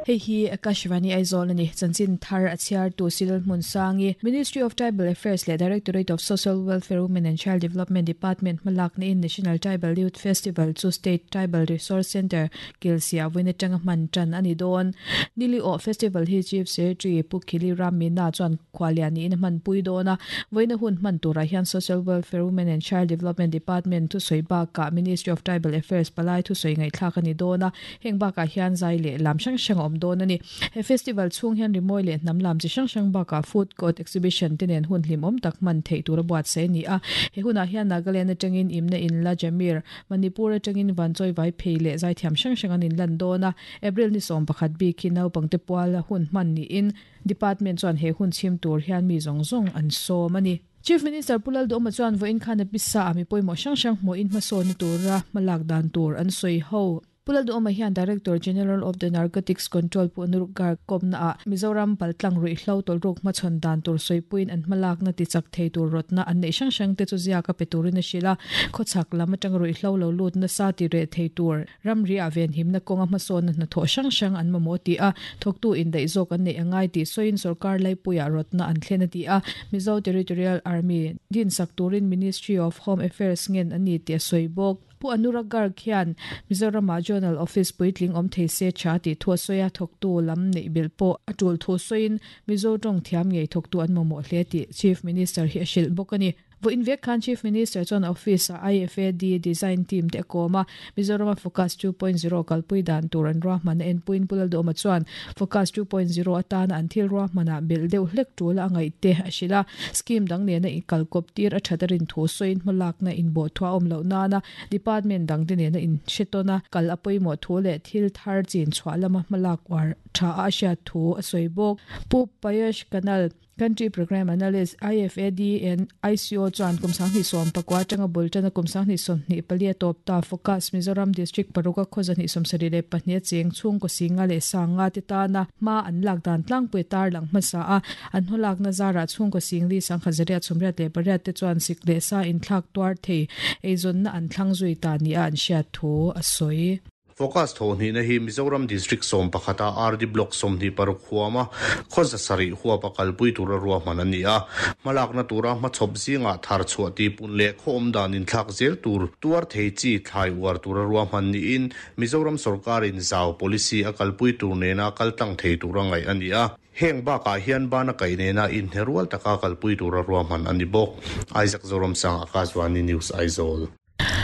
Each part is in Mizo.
Hei hi Akashvani Aizawl a ni. Chanchin thar a chhiartu Silal Hmunsangi, Ministry of Tribal Affairs leh Directorate of Social Welfare Women and Child Development Department hmalakna in National Tribal Youth Festival chu State Tribal Resource Centre Kilsia vawiin atanga hman tan a ni dawn. Nili awh Festival hi Chief Secretary Pu Khili Ram Meena chuan Khualia niin a hmanpui dawn a, vawiina hun hman turah hian Social Welfare, Women and Child Development Department thusawi bakah Ministry of Tribal Affairs palai thusawi ngaihthlak a ni dawn a, heng bakah hian zai leh lam hrang hrang a awm dawn a ni. He festival chhung hian rimawi leh hnam lam chi hrang hrang bakah food court exhibition te nen hun hlimawm tak hman theih tur a buatsaih a ni a, he hunah hian Nagaland atangin Imna Inla Jamir, Manipur atangin Vanchawi Vaiphei leh zaithiam hrang hrang an inlan dawn a, April ni 11 bik hi naupangte puala hun hman niin Department chuan he hun chhim tur hian mi zawng zawng an sawm a ni. Chief Minister Pu Lalduhawma chuan vawiin khan a pisa ah mi pawimawh hrang hrang hmuhin hmasawnna tura hmalak dan tur an sawi ho. Pu Lalduhawma hian Director General of the Narcotics Control Pu Anurup Garg kawmna ah Mizoram paltlang ruihhlo tawlhruk hmachhawn dan tur sawipuiin an hmalakna tichak thei tur rawtna an neih hrang hrang te chu ziak a pe turin a hrilh a, khawchhak lam atanga ruihhlo lo lut nasa ti reh thei tur Ramriah venhimna kawnga hmasawnna hnathawh hrang hrang an mamawh tih a, thawktu indaih zawk an neih a ngai tih sawiin sorkar laipuiah rawtna an thlen a ti a, Mizo Territorial Army dinsak turin Ministry of Home Affairs ngen a ni tih a sawi bawk. Pu Anurag Garg hian Mizorama Zonal Office puitling awm thei se tha tih thu a sawi a, thawktu lam neih belh pawh a tul thu sawiin Mizo tawng thiam ngei thawktu an mamawh hle tih Chief Minister hi a hrilh bawk a ni. Vawiin vek khan Chief Minister chuan office-ah IFAD design team te a kawm a, Mizorama Focus 2.0 kalpui dan tur an ruahman a enpuiin Pu Lalduhawma chuan Focus 2.0 atana an thil ruahmanah belh deuh hlek tul a ngaih te a hrilh a, scheme dang nena kalkawp tir a that a rin thu sawiin hmalakna inbawhthuah a awm loh nana department dang te nena inhretawna kal a pawimawh thu leh thil thar chin chhuah lama hmalak uar tha a hriat thu a sawi bawk. Pu Payush Kanal. Country Programme Analyst, IFAD and ICO chuan kum 2019 atanga bul tana kum 2024 a tawp ta Focus Mizoram District paruka khaw 172 a cheng chhungkaw singa leh sanga te tana hma an lak dan tlangpui tar lang hmasa a, an hawlakna zarah chhungkaw singli 1888 te chuan sik leh sa inthlak tuar thei eizawnna an thlang zui ta nia an hriat thu a sawi. Focus thawhhnihna hi Mizoram District 11 a RD Block 26 huama khaw 700 huapa kalpui tura ruahman a ni a. Hmalakna tura hmachhawp zingah thar chhuah tihpun leh khaw awm dan inthlak zel tur tuar thei chi thlai uar tura ruahman niin Mizoram sawrkarin zau policy a kalpui tur nena kaltlang thei tura ngaih a ni a. Heng bakah hian bana kaih nena inhne rual taka kalpui tura ruahman a ni bawk. Isaac Zoramsang, Akashvani News, Aizawl.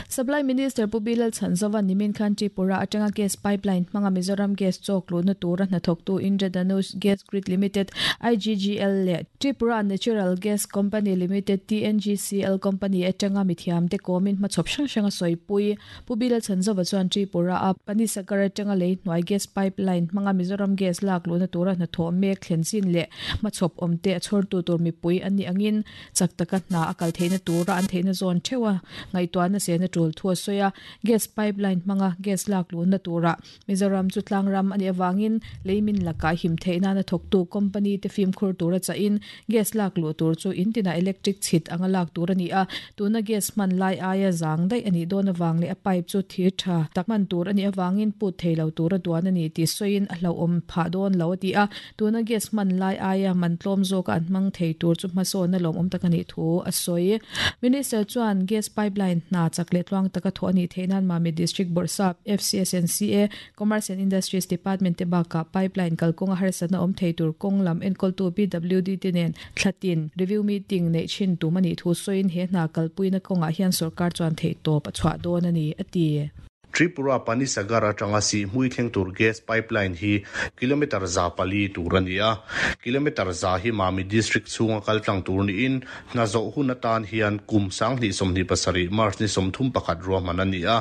Supply Minister Pu Bilal Chhanzova nimin khan Tripura atanga gas pipeline hmanga Mizoram gas chawk luhna tura hnathawktu Indradhanush Gas Grid Limited, IGGL, leh Tripura Natural Gas Company Limited, TNGCL, company atanga mithiamte kawmin hmachhawp hrang hrang a sawipui. Pu Bilal Chhanzova chuan Tripura a Panisagar atanga lei hnuai gas pipeline hmanga Mizoram gas lak luhna tura hnathawh mek thlen chin leh hmachhawp awmte a chhawrtu tur mipui an nih angin Chak taka hna a kal theihna tura an theihna zawn theuh a, ngaihtuahna sena tul thu a sawi a, gas pipeline hmanga gas lak luhna turah Mizoram chu tlangram a nih avangin leimin lakah him theih nana thawktu company te fimkhur tura chahin gas lak luh tur chu in tinah electric chhit anga lak tur a ni a, tuna gas hman lai aia zang daih a nih dawn avang leh a pipe chu thir tha tak hman tur a nih avangin put thei lo tura duan a ni tih sawiin a hlauhawm phah dawn lo a ti a. Tuna gas hman lai aia man tlawm zawka an hmang thei tur chu hmasawnna lawmawm tak a nih thu a sawi. Minister chuan gas pipeline hna chak leh tluang taka thawh a nih theih nan Mamit District Bawrhsap, FCSNCA, Commerce and Industries Department te bakah pipeline kalkawnga harsatna awm thei tur kawng lam enkawltu PWD te nen thlatin review meeting neih thin tum a nih thu sawiin he hna kalpuina kawngah hian sorkar chuan theihtawp a chhuah dawn a ni, a ti. Tripura Panisagar atanga Sihhmui thleng tur gas pipeline hi kilometre 400 tur a ni a, kilometre 100 hi Mami District chhunga kal tlang tur niin hna zawh hun atan hian kum 2027 March ni 31 ruahman a ni a,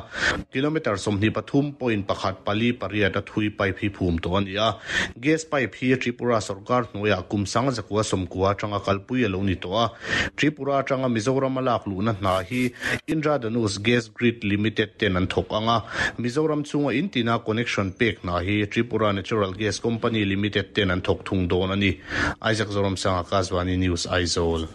kilometre 23.148 a thui pipe hi phum tawh a ni a, gas pipe hi Tripura sorkar hnuaiah kum 1990 atanga kalpui a lo ni tawh a, Tripura atanga Mizoram a lak luhna hna hi Indradhanush Gas Grid Limited ten an thawk ang a, Mizoram chhunga in tina connection pek hna hi Tripura Natural Gas Company Limited ten an thawk thung dawn a ni. Isaac Zoramsanga, Kazvani News, Aizawl.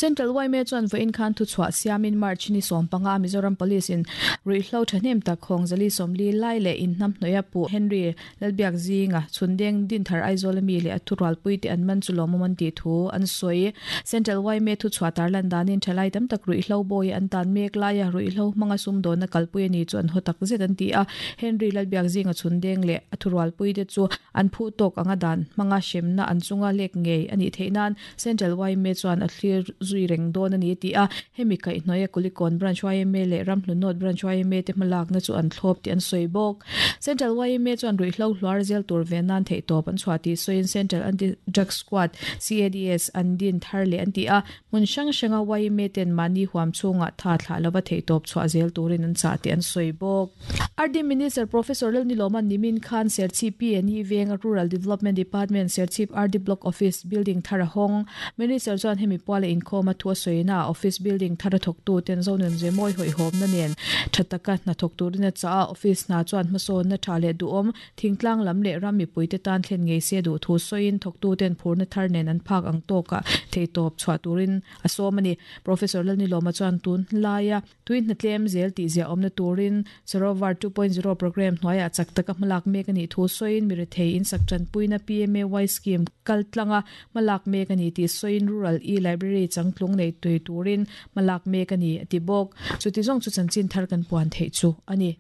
Central yma chuan vawiin khan thuchhuah siamin March ni 15 Mizoram Police in ruihhlo thahnem tak Khawngzali 40 lai leh inhnamhnawih a puh Henry Lalbiak zinga Chhundeng Dinthar Aizawl ami leh a thurualpui te an man chu lawmawm an tih thu an sawi. Central yma thuchhuah tarlan danin thalai tam tak ruihhlo bawi an tan mek laia ruihhlo hmanga sumdawnna kalpui a ni chu an haw tak zet an ti a. Henry Lalbiak zinga Chhundeng leh a thurualpui te chu an phuh tawk anga dan hmanga hremna an chunga lek ngei a nih theih nan Central yma chuan a thlir zui reng dawn a ni a ti a. Hemi kaihhnawia Kulikawn Branch yma leh Ramhlu North Branch yma te hmalakna chu an thlawp tih an sawi bawk. Central yma chuan ruihhlo hluar zel tur ve nan theihtawp an chhuah tih sawiin Central Anti-Drug Squad, CADS, an din thar leh an ti a. Hmun hrang hranga yma ten mahni huam chhungah tha thlah lova theihtawp chhuah zel turin an chah tih an sawi bawk. RD Minister Professor Lalnilawma nimin khan Serchhip PNE venga Rural Development Department Serchhip RD Block Office building thar a hawng. Minister chuan hemi puala inkhawm a thu a sawina ah office building thar a thawktu ten Zonun Zemawi hawihhawmna nen tha taka hna thawk turin a chah a, office hna chuan hmasawnna tha leh duhawm thingtlang lam leh ram mipuite tan thlen ngei se duh thu sawiin thawktu ten phurna thar nen an phak ang tawkah theihtawp chhuah turin a sawm a ni. Professor Lalnilawma chuan tun laia Tui hnatlem zel tih ziah awmna turin Sarovar 2.0 programme hnuaiah chak taka hmalak mek a nih thu sawiin mirethei insak tanpuina PMAY scheme kal tlanga hmalak mek a ni tih sawiin Rural e-Library changtlung nei tui turin hmalak mek a ni a ti bawk. Chuti zawng chu chanchin thar kan puan theih chu a ni.